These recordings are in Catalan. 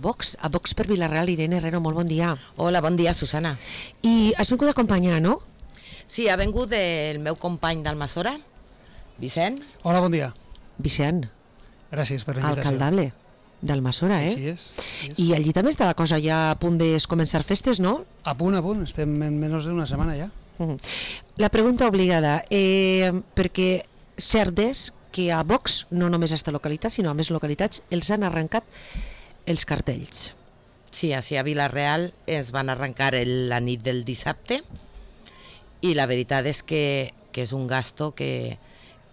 Vox per Vila-real. Irene Herrero, molt bon dia. Hola, bon dia, Susana. I has vingut a acompanyar, no? Sí, ha vingut el meu company d'Almassora, Vicent. Hola, bon dia. Vicent. Gràcies per la invitació. Alcaldable d'Almassora, Així és. I allí també està la cosa ja a punt de començar festes, no? A punt. Estem en menys d'una setmana ja. La pregunta obligada, perquè cert és que a Vox, no només a aquesta localitat, sinó a més localitats, els han arrencat els cartells. Sí, així a Vila-real es van arrencar la nit del dissabte i la veritat és que és un gasto que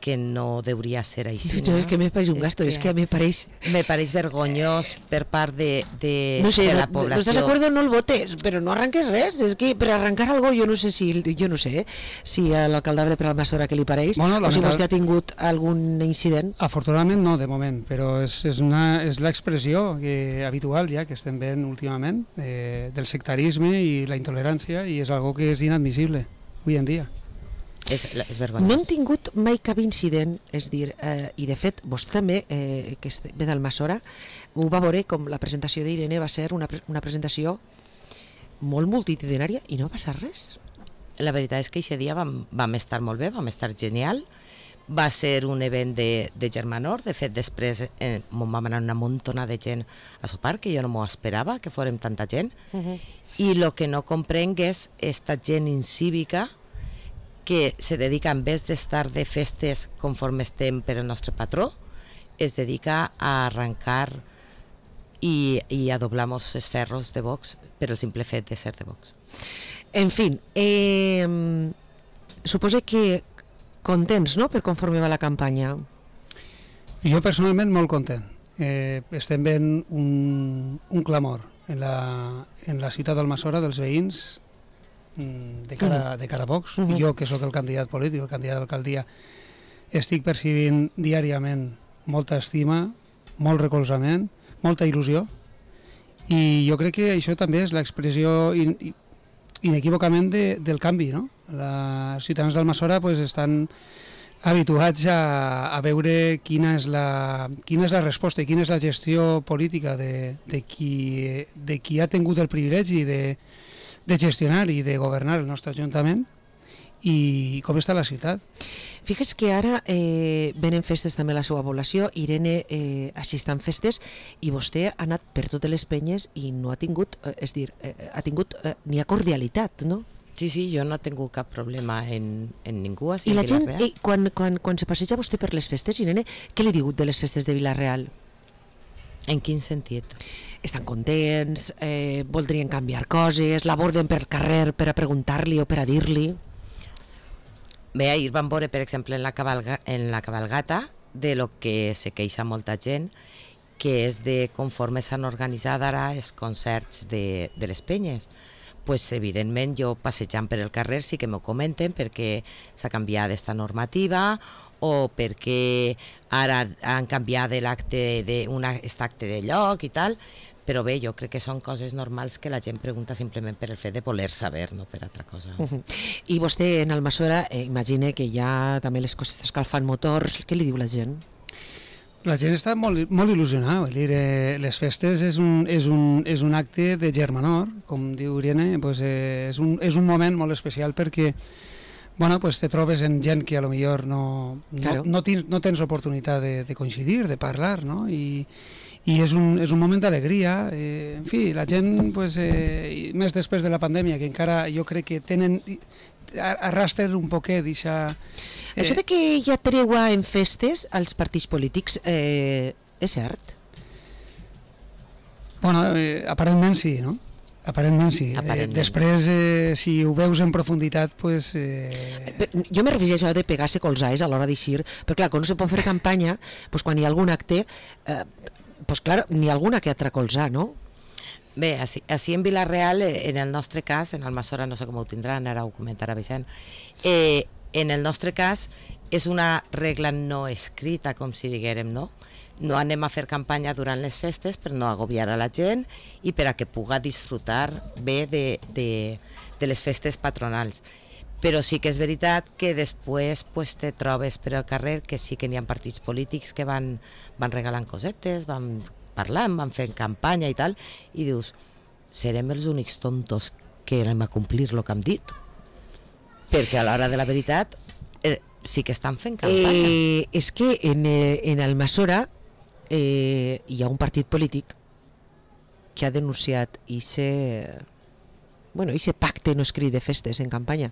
no hauria ser així. No, és que me pareix un gasto, és que me pareix... Me pareix vergonyós per part de la població. No estàs d'acord, no el votes, però no arranques res. És que per arrencar algo jo no sé si a l'alcaldable per Almassora que li pareix, o si vostè ha tingut algun incident. Afortunadament no, de moment, però és l'expressió habitual ja que estem veient últimament del sectarisme i la intolerància, i és algo que és inadmissible avui en dia. És vergonyós. No hem tingut mai cap incident, és dir, i de fet vostè també, que ve d'Almassora, ho va veure com la presentació d'Irene va ser una presentació molt multitudinària i no va passar res. La veritat és que aquest dia vam estar molt bé, vam estar genial. Va ser un event de germanor, de fet després vam anar una muntona de gent a sopar, que jo no m'ho esperava, que fórem tanta gent, i el que no comprenc és esta gent incívica que se dedica, en vez d'estar de festes conforme estem per el nostre patró, es dedica a arrencar i a doblar-nos els ferros de Vox per el simple fet de ser de Vox. En fi, suposo que contents, no?, per conforme va la campanya. Jo personalment molt content. Estem veient un clamor en la ciutat d'Almassora dels veïns de cara a Vox. Jo, que sóc el candidat polític, el candidat d'alcaldia, estic percibint diàriament molta estima, molt recolzament, molta il·lusió, i jo crec que això també és l'expressió inequívocament del canvi, no? Els ciutadans d'Almassora estan habituats a veure quina és la resposta i quina és la gestió política de qui ha tingut el privilegi de gestionar i de governar el nostre Ajuntament, i com està la ciutat. Fixes que ara venen festes també a la seva població. Irene assista en festes i vostè ha anat per totes les penyes i no ha tingut, és dir, n'hi ha cordialitat, no? Sí, jo no he tingut cap problema en ningú. I la gent, quan se passeja vostè per les festes, Irene, què li diu de les festes de Vila-real? En quin sentit? Estan contents, voldrien canviar coses, l'aborden pel carrer per a preguntar-li o per a dir-li? Bé, ahir vam veure, per exemple, en la cabalgata, de lo que se queixa molta gent, que és de conforme s'han organitzat ara els concerts de les penyes. Pues, evidentment, jo passejant per el carrer sí que m'ho comenten perquè s'ha canviat esta normativa o perquè ara han canviat l'acte de lloc i tal, però bé, jo crec que són coses normals que la gent pregunta simplement per el fet de voler saber, no per altra cosa. I vostè en Almassora, imagina que ja també les coses escalfant motors, què li diu la gent? La gent està molt il·lusionada, vull dir, les festes és un acte de germanor, com diu Irene, és un moment molt especial perquè te trobes en gent que a lo millor no tens oportunitat de coincidir, de parlar, no? I és un moment d'alegria. En fi, la gent, més després de la pandèmia, que encara jo crec que tenen arrastren un poquet d'això... Això de que hi ha tregua en festes als partits polítics és cert? Bueno, aparentment sí, no? Aparentment sí. Després, si ho veus en profunditat, Jo me refereixo a això de pegar-se colzais a l'hora d'eixir, però clar, quan no se pot fer campanya, quan hi ha algun acte, clar, n'hi ha alguna que atracolzar, no? Bé, així en Vila-real, en el nostre cas, en Almassora no sé com ho tindran, ara ho comentarà Vicent, en el nostre cas és una regla no escrita, com si diguérem, no? No anem a fer campanya durant les festes per no agobiar a la gent i per a que puga disfrutar bé de les festes patronals. Però sí que és veritat que després te trobes per al carrer que sí que n'hi ha partits polítics que van regalant cosetes, van parlant, van fent campanya i tal, i dius, serem els únics tontos que anem a complir el que hem dit? Perquè a l'hora de la veritat sí que estan fent campanya. És que en Almassora hi ha un partit polític que ha denunciat ese pacte no escrit de festes en campanya.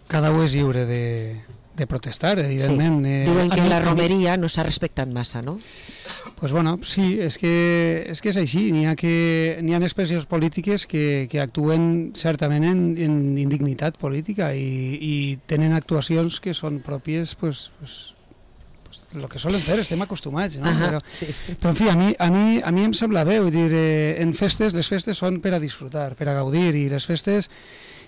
Cada un és lliure de protestar, evidentment. Sí. Diuen que la romeria no s'ha respectat massa, no? Pues bueno, sí, és que és així. N'hi ha expressions polítiques que actuen certament en indignitat política i tenen actuacions que són pròpies, pues el que solen fer, estem acostumats, no? Però en fi, a mi em sembla bé, vull dir, les festes són per a disfrutar, per a gaudir, i les festes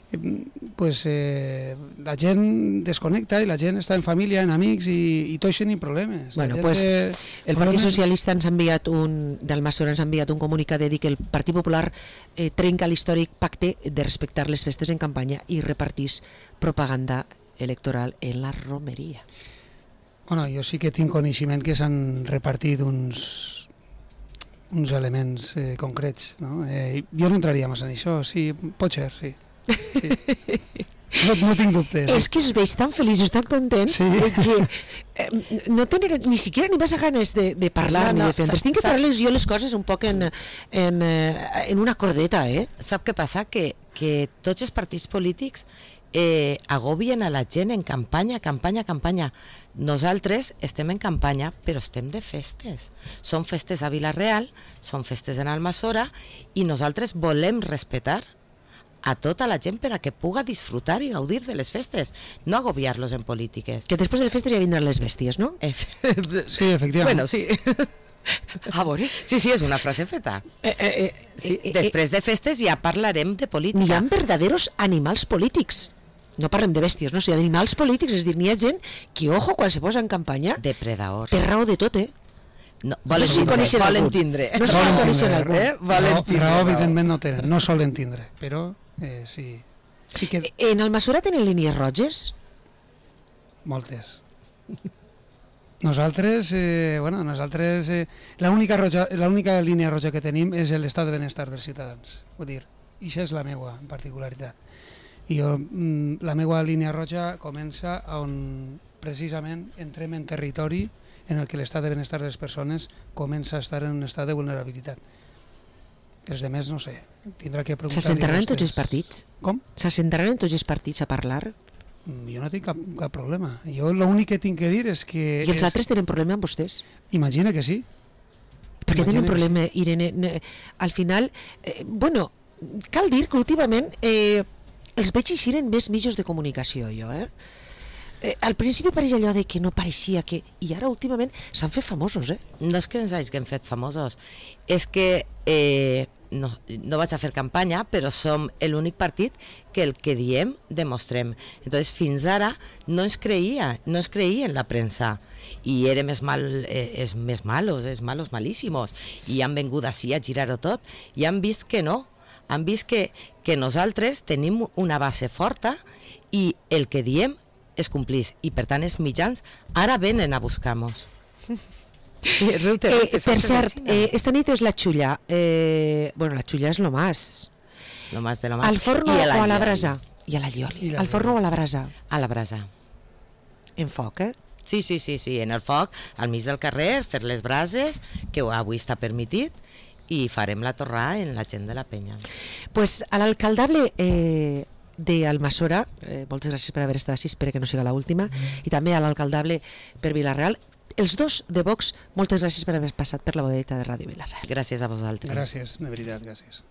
la gent desconnecta i la gent està en família, en amics i tot això ni problemes. Bueno, el Partit Socialista d'Almassora ens ha enviat un comunicat de dir que el Partit Popular trenca l'històric pacte de respectar les festes en campanya i repartís propaganda electoral en la romeria. Bueno, jo sí que tinc coneixement que s'han repartit uns elements concrets, no? Jo no entraria massa en això, sí, pot ser, sí. Sí. No tinc dubtes. És que es veig tan feliços, tan contents, que no tenen ni siquiera ni massa ganes de parlar ni de fer. Tinc que parlar-les jo les coses un poc en una cordeta, Sap què passa? Que tots els partits polítics agobien a la gent en campanya. Nosaltres estem en campanya, però estem de festes. Són festes a Vila-real, són festes en Almassora, i nosaltres volem respectar a tota la gent per a que puga disfrutar i gaudir de les festes, no agobiar-los en polítiques. Que després de les festes ja vindran les bèsties, no? Sí, efectivament. Bueno, sí. A veure. Sí, és una frase feta. Després de festes ja parlarem de política. N'hi ha verdaderos animals polítics. No parlem de bèsties, no? O sigui, animals polítics, és a dir, n'hi ha gent que, ojo, quan se posa en campanya, depredadors. Té raó de tot, No, volen tindre. No solen conèixer algú. Raó, evidentment, no tenen, no solen tindre, però sí que... En Almassora tenen línies roges? Moltes. Nosaltres, l'única línia roja que tenim és l'estat de benestar dels ciutadans. Vull dir, i això és la meua particularitat. I la meva línia roja comença on precisament entrem en territori en el que l'estat de benestar de les persones comença a estar en un estat de vulnerabilitat. Els demés, no sé, tindrà que preguntar-li. S'assentaran en tots els partits? Com? S'assentaran en tots els partits a parlar? Jo no tinc cap problema. Jo l'únic que tinc que dir és que... I els altres tenen problema amb vostès? Imagina que sí. Perquè tenen problema, Irene. Al final, cal dir que últimament els veig eixiren més mitjos de comunicació, jo, al principi pareix allò de que no pareixia que... I ara últimament s'han fet famosos, No és que ens hagin fet famosos, és que no vaig a fer campanya, però som l'únic partit que el que diem demostrem. Entonces fins ara no ens creia en la premsa i érem els malos malíssimos, i han vingut així a girar-ho tot i han vist que no, han vist que nosaltres tenim una base forta i el que diem es complís, i per tant els mitjans ara venen a buscar-nos. Per cert, esta nit és la xulla. La xulla és lo más. Lo más de lo más. Al forno o a la brasa? I a la llioli. Al forno o a la brasa? A la brasa. En foc, Sí, en el foc, al mig del carrer, fer les brases, que avui està permitit, i farem la torrada en la gent de la penya. Pues a l'alcaldable de Almassora, moltes gràcies per haver estat així, espero que no siga l'última, i també a l'alcaldable per Vila-real, els dos de Vox, moltes gràcies per haver passat per la bodeta de Ràdio Vila-real. Gràcies a vosaltres. Gràcies, de veritat, gràcies.